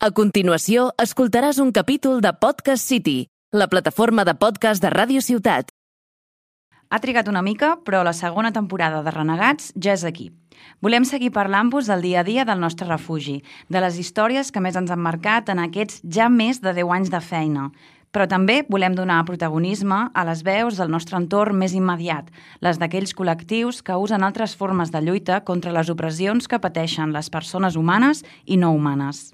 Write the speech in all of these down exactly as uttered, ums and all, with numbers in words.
A continuació, escoltaràs un capítol de Podcast City, la plataforma de podcast de Ràdio Ciutat. Ha trigat una mica, però la segona temporada de Renegats ja és aquí. Volem seguir parlant-vos del dia a dia del nostre refugi, de les històries que més ens han marcat en aquests ja més de deu anys de feina. Però també volem donar protagonisme a les veus del nostre entorn més immediat, les d'aquells col·lectius que usen altres formes de lluita contra les opressions que pateixen les persones humanes i no humanes.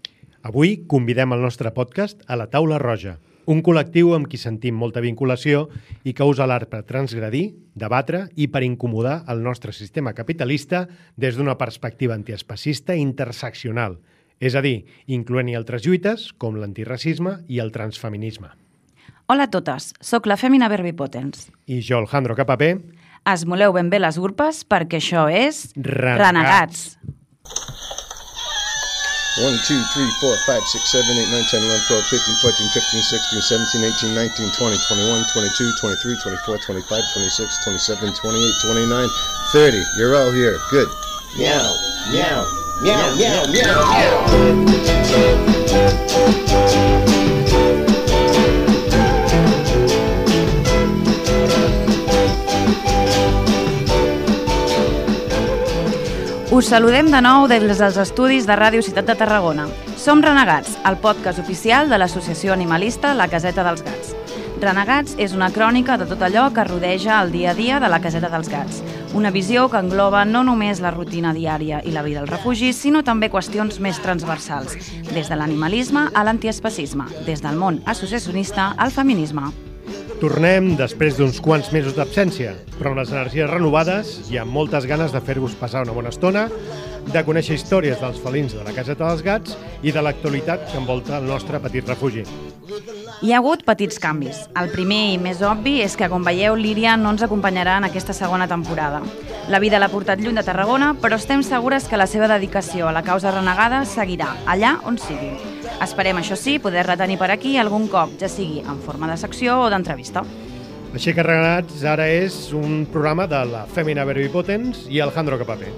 Avui convidem al nostre podcast a la Taula Roja, un col·lectiu amb qui sentim molta vinculació i que usa l'art per transgredir, debatre i per incomodar el nostre sistema capitalista des d'una perspectiva antiespecista i interseccional, és a dir, incloent-hi altres lluites com l'antiracisme i el transfeminisme. Hola a totes, sóc la Fèmina Verbipotens. I jo, Alejandro Capapé. Esmoleu ben bé les urpes perquè això és... Renegats. Renegats. one, two, three, four, five, six, seven, eight, nine, ten, eleven, twelve, thirteen, fourteen, fifteen, sixteen, seventeen, eighteen, nineteen, twenty, twenty-one, twenty-two, twenty-three, twenty-four, twenty-five, twenty-six, twenty-seven, twenty-eight, twenty-nine, thirty. You're all here. Good. Meow, meow, meow, meow, meow, meow. Us saludem de nou des dels estudis de Ràdio Ciutat de Tarragona. Som Renegats, el podcast oficial de l'associació animalista La Caseta dels Gats. Renegats és una crònica de tot allò que rodeja el dia a dia de la Caseta dels Gats. Una visió que engloba no només la rutina diària i la vida al refugi, sinó també qüestions més transversals, des de l'animalisme a l'antiespecisme, des del món associacionista al feminisme. Tornem després d'uns quants mesos d'absència, però amb les energies renovades i amb moltes ganes de fer-vos passar una bona estona, de conèixer històries dels felins de la Caseta dels Gats i de l'actualitat que envolta el nostre petit refugi. Hi ha hagut petits canvis. El primer i més obvi és que, com veieu, l'Íria no ens acompanyarà en aquesta segona temporada. La vida l'ha portat lluny de Tarragona, però estem segures que la seva dedicació a la causa renegada seguirà, allà on sigui. Esperem, això sí, poder retenir per aquí algun cop, ja sigui en forma de secció o d'entrevista. Així que Renegats ara és un programa de la Fèmina Verbipotens i Alejandro Capapé,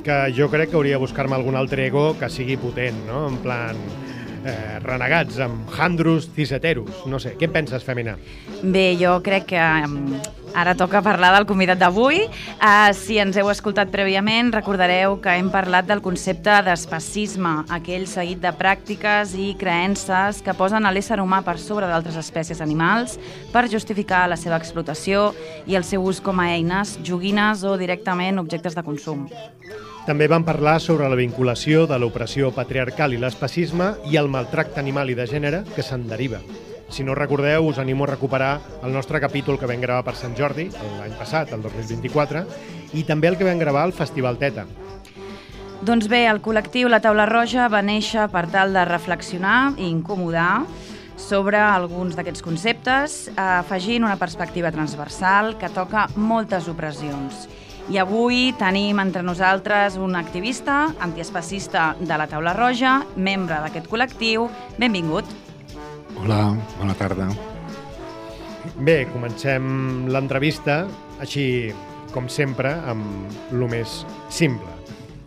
que jo crec que hauria de buscar-me algun altre ego que sigui potent, no? En plan... Eh, renegats amb handrus ciseteros. No sé, què en penses, Fèmina? Bé, jo crec que um, ara toca parlar del convidat d'avui. Uh, si ens heu escoltat prèviament, recordareu que hem parlat del concepte d'especisme, aquell seguit de pràctiques i creences que posen a l'ésser humà per sobre d'altres espècies animals per justificar la seva explotació i el seu ús com a eines, joguines o directament objectes de consum. També vam parlar sobre la vinculació de l'opressió patriarcal i l'especisme i el maltracte animal i de gènere que se'n deriva. Si no recordeu, us animo a recuperar el nostre capítol que vam gravar per Sant Jordi, l'any passat, el dos mil vint-i-quatre, i també el que vam gravar al Festival Teta. Doncs bé, el col·lectiu La Taula Roja va néixer per tal de reflexionar i incomodar sobre alguns d'aquests conceptes, afegint una perspectiva transversal que toca moltes opressions. I avui tenim entre nosaltres un activista antiespecista de la Taula Roja, membre d'aquest col·lectiu. Benvingut. Hola, bona tarda. Bé, comencem l'entrevista, així com sempre, amb lo més simple.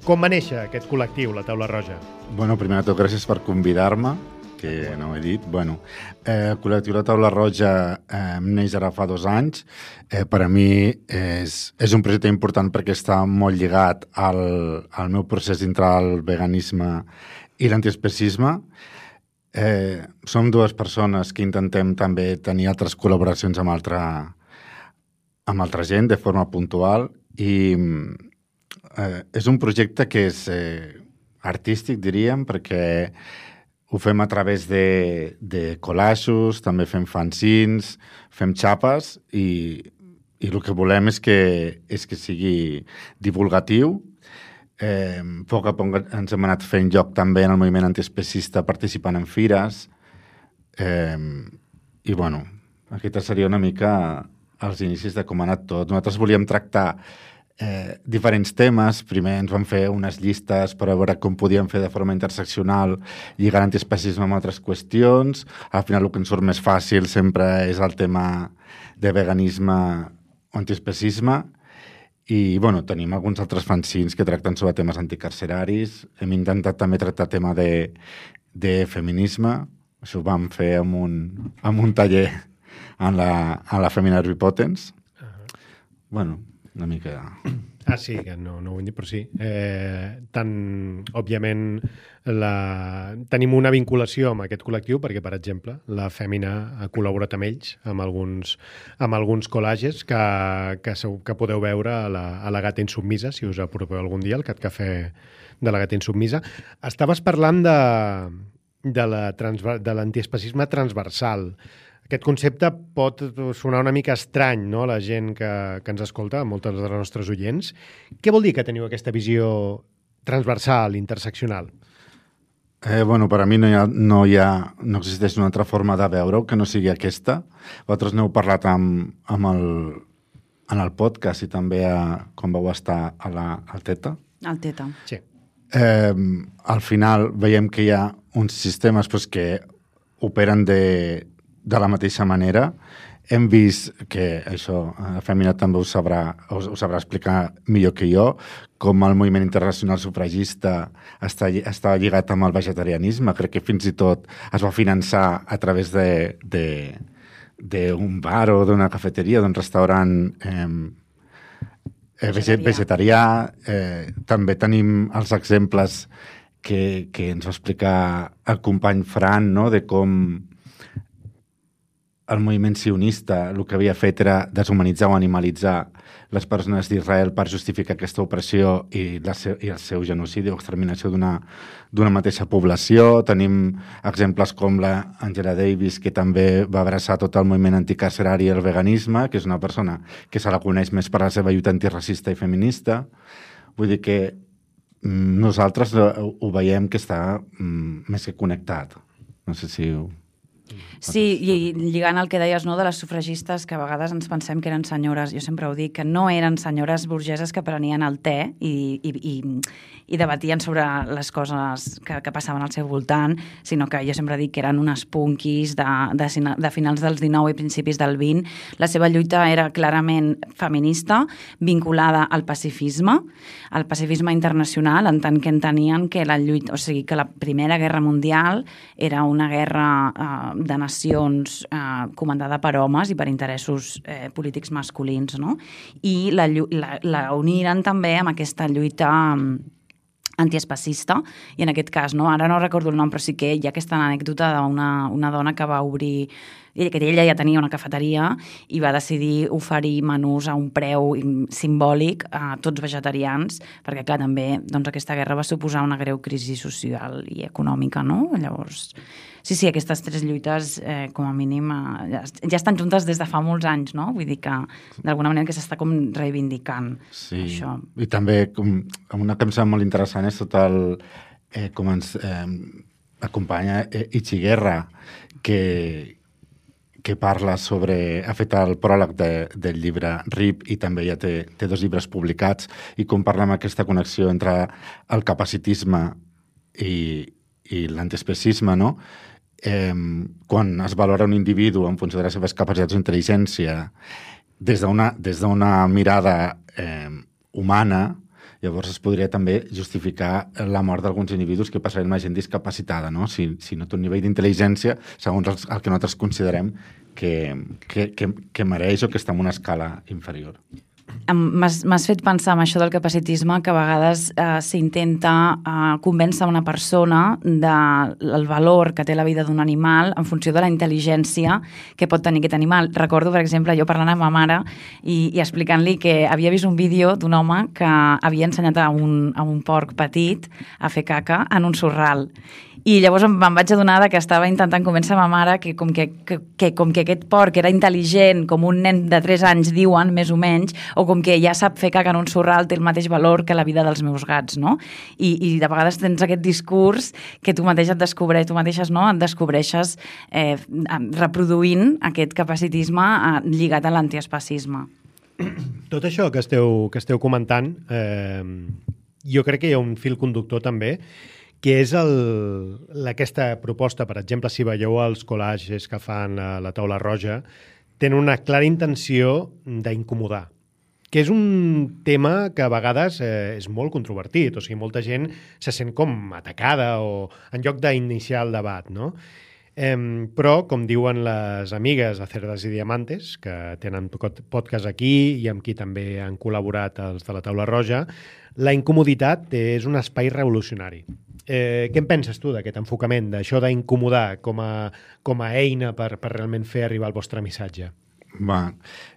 Com va néixer aquest col·lectiu, la Taula Roja? Bueno, primer de tot, gràcies per convidar-me, que no ho he dit. Bueno, eh, el col·lectiu La Taula Roja eh, neix ara fa dos anys. Eh, per a mi és, és un projecte important perquè està molt lligat al, al meu procés dintre el veganisme i l'antiespecisme. Eh, som dues persones que intentem també tenir altres col·laboracions amb altra, amb altra gent de forma puntual i eh, és un projecte que és eh, artístic, diríem, perquè ho fem a través de, de collages, també fem fanzines, fem xapes i, i el que volem és que, és que sigui divulgatiu. Eh, a poc a poc ens hem anat fent lloc també en el moviment antiespecista participant en fires. Eh, I, bueno, aquesta seria una mica els inicis de com ha anat tot. Nosaltres volíem tractar Eh, diferents temes. Primer ens van fer unes llistes per a veure com podíem fer de forma interseccional lligar l'antiespecisme amb altres qüestions. Al final el que ens surt més fàcil sempre és el tema de veganisme o antiespecisme I, bueno, tenim alguns altres fanzines que tracten sobre temes anticarceraris. Hem intentat també tractar tema de, de feminisme. Això ho vam fer amb un, amb un taller en la, en la Femina Repotence. Uh-huh. Bueno, una mica... Ah, sí, que no, no ho hem dit, però sí. Eh, tant, òbviament, la... tenim una vinculació amb aquest col·lectiu perquè, per exemple, la Fèmina ha col·laborat amb ells, amb alguns, amb alguns collages que, que, que podeu veure a la, a la Gata Insubmisa, si us apropeu algun dia, el Cat Cafè de la Gata Insubmisa. Estaves parlant de, de la transver... de l'antiespacisme transversal. Aquest concepte pot sonar una mica estrany, no?, a la gent que, que ens escolta, a moltes de les nostres oients. Què vol dir que teniu aquesta visió transversal, interseccional? Eh, bueno, per a mi no hi ha, no hi ha, no existeix una altra forma de veure-ho que no sigui aquesta. Vosaltres n'heu parlat amb, amb el, en el podcast i també a, quan vau estar a la, al Teta. Al Teta. Sí. Eh, al final veiem que hi ha uns sistemes pues, que operen de... de la mateixa manera. Hem vist que això, la Fèmina també ho sabrà, ho, ho sabrà explicar millor que jo, com el moviment internacional sufragista està, està lligat amb el vegetarianisme. Crec que fins i tot es va finançar a través de, de, d'un bar o d'una cafeteria, d'un restaurant eh, vegetarià. vegetarià. Eh, també tenim els exemples que, que ens va explicar el company Fran, no?, de com el moviment sionista el que havia fet era deshumanitzar o animalitzar les persones d'Israel per justificar aquesta opressió i, la seu, i el seu genocidi o exterminació d'una d'una mateixa població. Tenim exemples com la Angela Davis, que també va abraçar tot el moviment anticarcerari i el veganisme, que és una persona que se la coneix més per la seva lluita antiracista i feminista. Vull dir que mm, nosaltres ho, ho veiem que està mm, més que connectat. No sé si... Ho... Sí, i lligant el que deies, no, de les sufragistes, que a vegades ens pensem que eren senyores, jo sempre ho dic, que no eren senyores burgeses que prenien el te i, i, i, i debatien sobre les coses que, que passaven al seu voltant, sinó que jo sempre dic que eren unes punquis de, de, de finals dels dinou i principis del vint. La seva lluita era clarament feminista, vinculada al pacifisme, al pacifisme internacional, en tant que entenien que la lluita, o sigui, que la Primera Guerra Mundial era una guerra eh, de nacions eh, comandada per homes i per interessos eh, polítics masculins, no? I la, la, la uniren també amb aquesta lluita antiespacista, i en aquest cas, no? Ara no recordo el nom, però sí que hi ha aquesta anècdota d'una una dona que va obrir, que ella ja tenia una cafeteria i va decidir oferir menús a un preu simbòlic a tots vegetarians, perquè, clar, també doncs, aquesta guerra va suposar una greu crisi social i econòmica, no? Llavors, sí, sí, aquestes tres lluites, eh, com a mínim, eh, ja, ja estan juntes des de fa molts anys, no? Vull dir que, d'alguna manera, que s'està com reivindicant sí. això. I també, com, una que em sembla molt interessant és tot el... Eh, com ens eh, acompanya eh, Ichiguerra, que... que parla sobre... ha fet el pròleg de, del llibre R I P i també ja té, té dos llibres publicats, i com parla amb aquesta connexió entre el capacitisme i, i l'antiespecisme, no? Eh, quan es valora un individu en funció de les seves capacitats d'intel·ligència des d'una des d'una mirada eh, humana, llavors es podria també justificar la mort d'alguns individus que passarien amb gent discapacitada, no? Si, si no té un nivell d'intel·ligència, segons el, el que nosaltres considerem que, que, que, que mereix o que està en una escala inferior. M'has fet pensar en això del capacitisme, que a vegades eh, s'intenta eh, convèncer una persona del valor que té la vida d'un animal en funció de la intel·ligència que pot tenir aquest animal. Recordo, per exemple, jo parlant amb ma mare i, i explicant-li que havia vist un vídeo d'un home que havia ensenyat a un, a un porc petit a fer caca en un sorral. I llavors em, em vaig adonar que estava intentant convèncer ma mare que com que, que, que com que aquest porc era intel·ligent, com un nen de tres anys diuen, més o menys, o com que ja sap fer caca en un sorral, té el mateix valor que la vida dels meus gats, no? I, i de vegades tens aquest discurs que tu mateix et descobreixes, tu mateixes, no? Et descobreixes eh, reproduint aquest capacitisme eh, lligat a l'antiespacisme. Tot això que esteu, que esteu comentant, eh, jo crec que hi ha un fil conductor també, que és el, aquesta proposta, per exemple, si veieu els collages que fan a la Taula Roja, tenen una clara intenció d'incomodar, que és un tema que a vegades eh, és molt controvertit, o sigui, molta gent se sent com atacada o en lloc d'iniciar el debat, no? Eh, però, com diuen les amigues de Cerdas i Diamantes, que tenen podcast aquí i amb qui també han col·laborat els de la Taula Roja, la incomoditat és un espai revolucionari. Eh, què en penses tu d'aquest enfocament, d'això d'incomodar com a, com a eina per, per realment fer arribar el vostre missatge? Va,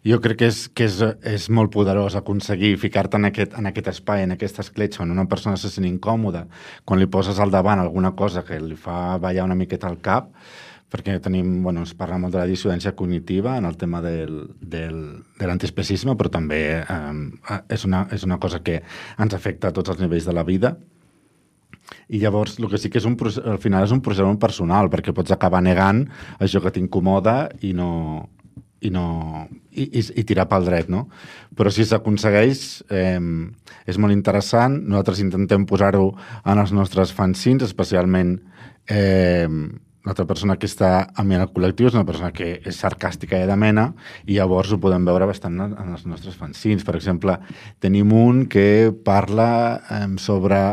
jo crec que és, que és, és molt poderós aconseguir ficar-te en aquest, en aquest espai, en aquesta escletxa on una persona se sent incòmoda, quan li poses al davant alguna cosa que li fa ballar una miqueta al cap, perquè tenim, bueno, es parla molt de la dissidència cognitiva en el tema del, del, de l'antiespecisme, però també eh, és, una, és una cosa que ens afecta a tots els nivells de la vida. I llavors el que sí que és un procés, al final és un procés personal, perquè pots acabar negant això que t'incomoda i no... i, no, i, i, i tirar pel dret, no? Però si s'aconsegueix, eh, és molt interessant. Nosaltres intentem posar-ho en els nostres fanzines, especialment eh, l'altra persona que està amb mi en el col·lectiu és una persona que és sarcàstica i de mena, i llavors ho podem veure bastant en, en els nostres fanzines. Per exemple, tenim un que parla eh, sobre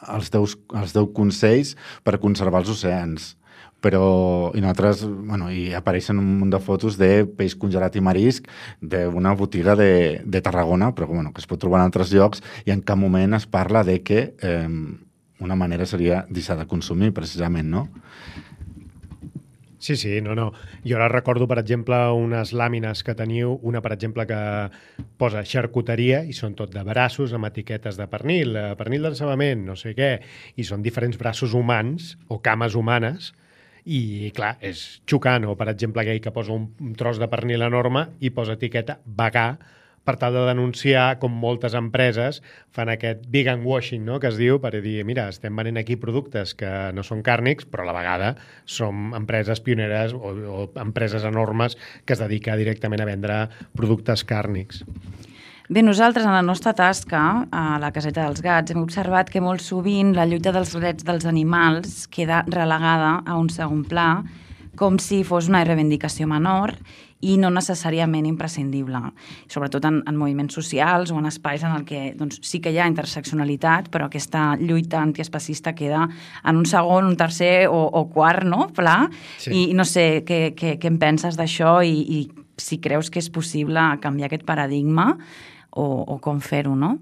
els teus, els teus consells per conservar els oceans. Però, i nosaltres, bueno, i apareixen un munt de fotos de peix congelat i marisc d'una botiga de, de Tarragona, però bueno, que es pot trobar en altres llocs, i en cap moment es parla de que eh, una manera seria deixar de consumir, precisament, no? Sí, sí, no, no. Jo ara recordo, per exemple, unes làmines que teniu, una, per exemple, que posa xarcuteria i són tot de braços amb etiquetes de pernil, pernil d'encebament, no sé què, i són diferents braços humans o cames humanes. I, clar, és xocant, o, per exemple, aquell que posa un tros de pernil enorme i posa etiqueta vegà per tal de denunciar com moltes empreses fan aquest vegan washing, no?, que es diu, per dir, mira, estem venent aquí productes que no són càrnics, però a la vegada som empreses pioneres o, o empreses enormes que es dedica directament a vendre productes càrnics. Bé, nosaltres, en la nostra tasca, a la Caseta dels Gats, hem observat que molt sovint la lluita dels drets dels animals queda relegada a un segon pla, com si fos una reivindicació menor i no necessàriament imprescindible, sobretot en, en moviments socials o en espais en el que doncs, sí que hi ha interseccionalitat, però aquesta lluita antiespecista queda en un segon, un tercer o, o quart, no?, pla. Sí. I no sé què, què, què en penses d'això i, i si creus que és possible canviar aquest paradigma o, o com fer-ho, no?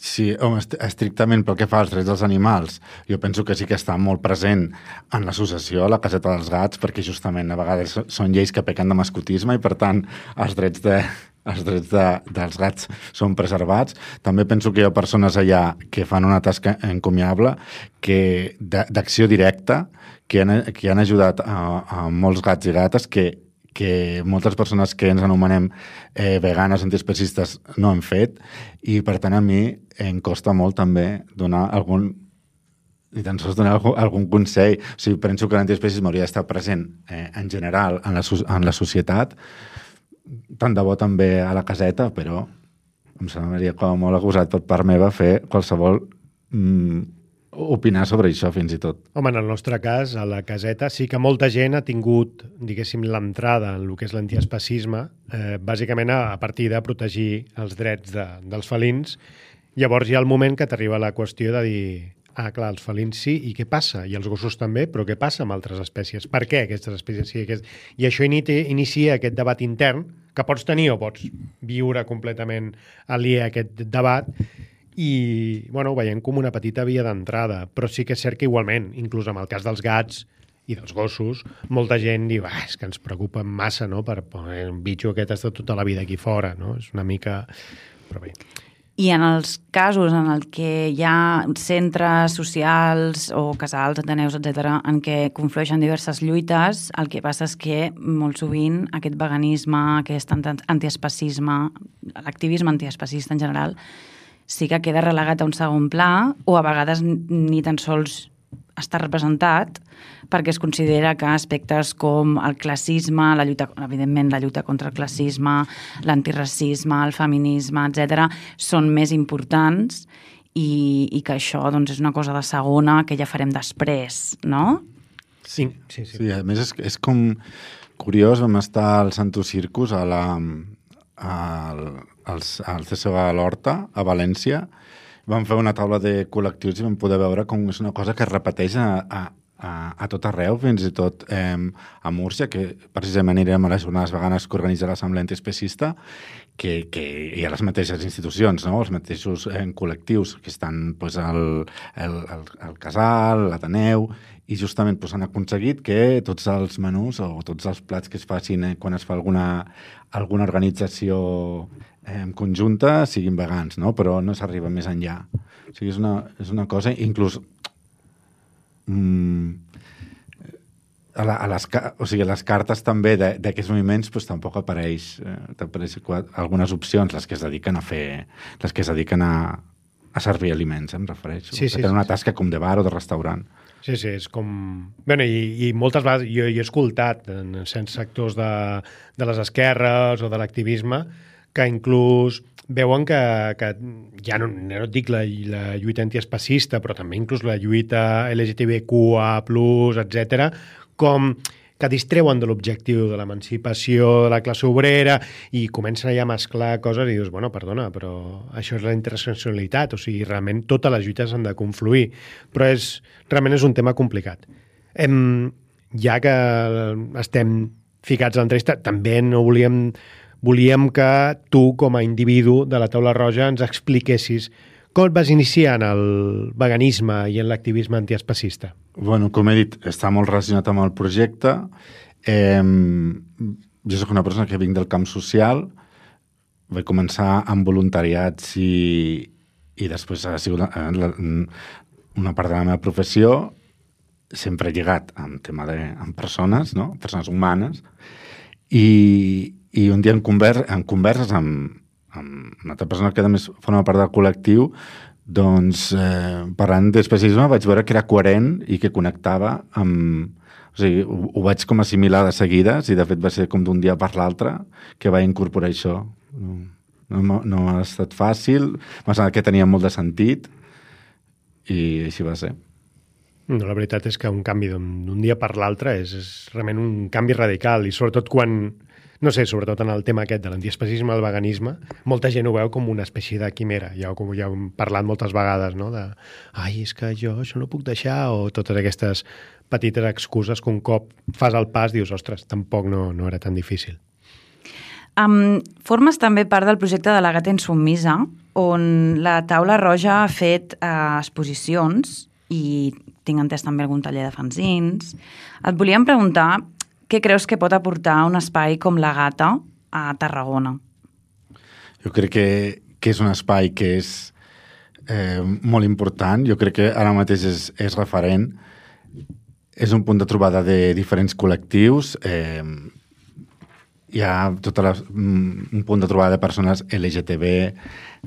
Sí, home, estrictament pel que fa als drets dels animals, jo penso que sí que està molt present en l'associació, la Caseta dels Gats, perquè justament a vegades són lleis que pequen de mascotisme i, per tant, els drets, de, els drets de, dels gats són preservats. També penso que hi ha persones allà que fan una tasca encomiable, que d'acció directa, que han, que han ajudat a, a molts gats i gates que que moltes persones que ens anomenem eh, veganes, antiespecistes, no han fet, i per tant a mi em costa molt també donar algun i tan sols donar algun, algun consell. O sigui, penso que l'antiespecisme hauria d'estar present eh, en general en la, en la societat, tant de bo també a la caseta, però em semblaria com molt acusat per part meva fer qualsevol mm, opinar sobre això, fins i tot. Home, en el nostre cas, a la caseta, sí que molta gent ha tingut, diguéssim, l'entrada en el que és l'antiespecisme, eh, bàsicament a, a partir de protegir els drets de, dels felins. Llavors hi ha el moment que t'arriba la qüestió de dir, ah, clar, els felins sí, i què passa? I els gossos també, però què passa amb altres espècies? Per què aquestes espècies sí? Aquest... I això inicia, inicia aquest debat intern, que pots tenir o pots viure completament aliè a aquest debat, i bueno, ho veiem com una petita via d'entrada, però sí que és cert que igualment, inclús amb el cas dels gats i dels gossos, molta gent diu, ah, és que ens preocupa massa, no?, per un bitxo aquest està tota la vida aquí fora, no? És una mica... però bé. I en els casos en el que hi ha centres socials o casals, ateneus, etcètera, en què conflueixen diverses lluites, el que passa és que molt sovint aquest veganisme, aquest antiespecisme, l'activisme antiespecista en general, sí que queda relegat a un segon pla o a vegades ni tan sols està representat perquè es considera que aspectes com el classisme, la lluita, evidentment la lluita contra el classisme, l'antiracisme, el feminisme, etcètera, són més importants i, i que això doncs, és una cosa de segona que ja farem després, no? Sí, sí, sí. Sí, a més és, és com curiós, vam estar al Santo Circus a la... al als, al C S O a l'Horta, a València. Vam fer una taula de col·lectius i vam poder veure com és una cosa que es repeteix a, a, a, a tot arreu, fins i tot eh, a Múrcia, que precisament anirem a les jornades veganes que organitza l'Assemblea Antiespecista, que, que hi ha les mateixes institucions, no? Els mateixos eh, col·lectius que estan pues, al, al, al, al Casal, l'Ateneu, i justament pues, han aconseguit que tots els menús o tots els plats que es facin eh, quan es fa alguna, alguna organització eh, conjunta siguin vegans, no? Però no s'arriba més enllà. O sigui, és una, és una cosa, inclús mm, a, la, a, les, o sigui, a les cartes també d'aquests moviments pues, tampoc apareix, eh, apareix algunes opcions, les que es dediquen a fer, les que es dediquen a, a servir aliments, em refereixo. Sí, sí, que tenen una sí, tasca com de bar o de restaurant. Sí, sí, és com... Bueno, i, i moltes vegades jo, jo he escoltat en certs sectors de, de les esquerres o de l'activisme que inclús veuen que, que ja no, no et dic la, la lluita antiespecista, però també inclús la lluita L G T B Q A plus, etcètera, com que distreuen de l'objectiu de l'emancipació de la classe obrera i comencen ja a mesclar coses i dius, bueno, perdona, però això és la interseccionalitat, o sigui, realment totes les lluites han de confluir, però és, realment és un tema complicat. Hem, ja que estem ficats a l'entrevista, també no volíem, volíem que tu, com a individu de la Taula Roja, ens expliquessis com et vas iniciar en el veganisme i en l'activisme antiespecista? Bueno, com he dit, està molt relacionat amb el projecte. Eh, jo soc una persona que vinc del camp social, vaig començar amb voluntariats i, i després ha sigut una, una part de la meva professió, sempre lligat amb tema de amb persones, no? Persones humanes, i, i un dia en, conver, en converses amb amb una altra persona que a més forma part del col·lectiu, doncs eh, parlant d'especisme vaig veure que era coherent i que connectava amb... O sigui, ho, ho vaig com assimilar de seguides i de fet va ser com d'un dia per l'altre que vaig incorporar això. No, no, no ha estat fàcil, m'ha semblat que tenia molt de sentit i així va ser. No, la veritat és que un canvi d'un dia per l'altre és, és realment un canvi radical i sobretot quan... No sé, sobretot en el tema aquest de l'antiespecisme, el veganisme, molta gent ho veu com una espècie de quimera. Ja, com ja hem parlat moltes vegades, no? De, ai, és que jo això no puc deixar, o totes aquestes petites excuses que un cop fas el pas dius, ostres, tampoc no, no era tan difícil. Um, formes també part del projecte de la Gata Insubmisa, on la Taula Roja ha fet uh, exposicions i tinc entès també algun taller de fanzins. Et volíem preguntar... Què creus que pot aportar un espai com la Gata a Tarragona? Jo crec que, que és un espai que és eh, molt important. Jo crec que ara mateix és, és referent. És un punt de trobada de diferents col·lectius. Eh, hi ha tota la, un punt de trobada de persones L G T B,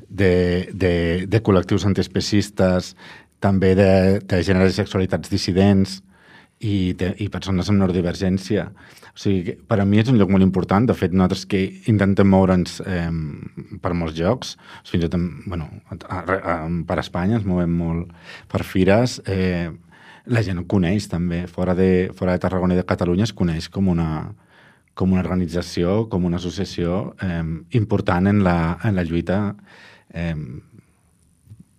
de, de, de col·lectius antiespecistes, també de, de gèneres i sexualitats dissidents, i, de, i persones amb neurodivergència. O sigui, per a mi és un lloc molt important. De fet, nosaltres que intentem moure'ns eh, per molts llocs, fins i tot, bueno, a, a, per Espanya ens movem molt per fires, eh, la gent ho coneix també. Fora de, fora de Tarragona i de Catalunya es coneix com una, com una organització, com una associació eh, important en la, en la lluita eh,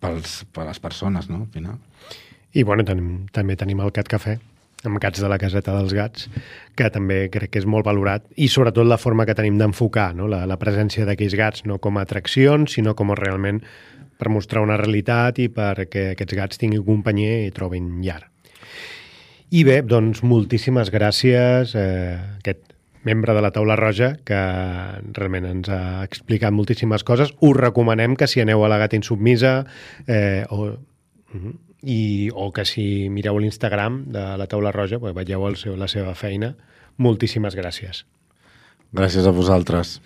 pels, per les persones, no? Al final. I bueno, tenim, també tenim el Cat Cafè, amb Gats de la Caseta dels Gats, que també crec que és molt valorat, i sobretot la forma que tenim d'enfocar, no? la, la presència d'aquells gats, no com a atraccions, sinó com realment per mostrar una realitat i perquè aquests gats tinguin companyia i trobin llar. I bé, doncs moltíssimes gràcies a eh, aquest membre de la Taula Roja, que realment ens ha explicat moltíssimes coses. Us recomanem que si aneu a la Gata Insubmisa eh, o... Uh-huh. I, o que si mireu l'Instagram de la Taula Roja, pues, veieu el seu, la seva feina. Moltíssimes gràcies. Gràcies a vosaltres.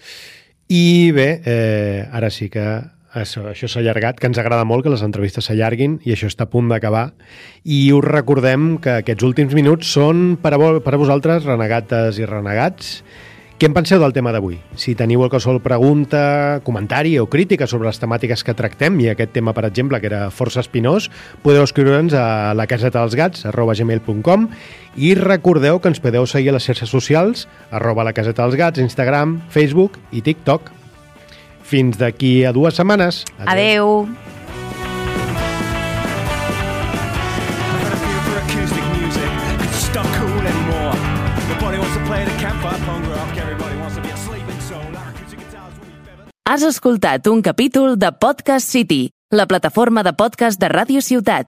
I bé, eh, ara sí que això, això s'ha allargat, que ens agrada molt que les entrevistes s'allarguin i això està a punt d'acabar. I us recordem que aquests últims minuts són per a, per a vosaltres, renegates i renegats. Què en penseu del tema d'avui? Si teniu qualsevol pregunta, comentari o crítica sobre les temàtiques que tractem, i aquest tema, per exemple, que era força espinós, podeu escriure'ns a la caseta dels gats arroba gmail punt com i recordeu que ens podeu seguir a les xarxes socials arroba la caseta dels gats, Instagram, Facebook i TikTok. Fins d'aquí a dues setmanes. Adeu. Has escoltat un capítol de Podcast City, la plataforma de podcast de Ràdio Ciutat.